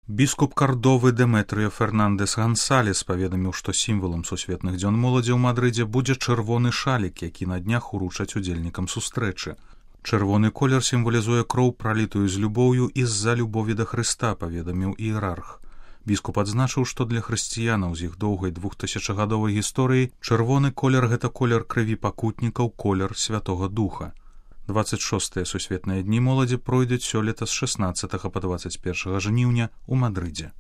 Біскуп Кардовы Дэметрыо Фернандес Гансалес паведаміў, што сімвалам сусветных дзён моладзі ў Мадрыдзе будзе чырвоны шалік, які на днях уручаць удзельнікам сустрэчы. Чырвоны колер сімвалізуе кроў, пралітую з любоўю і з-за любові да Хрыста, паведаміў іерарх. Біскуп адзначыў, што для хрысціянаў з іх доўгай 2000гадовай гісторыі чырвоны колер – гэта колер крыві пакутнікаў, колер Святога Духа. 26-е сусветныя дні моладзі пройдуць сёлета з 16 па 21 жніўня ў Мадрыдзе.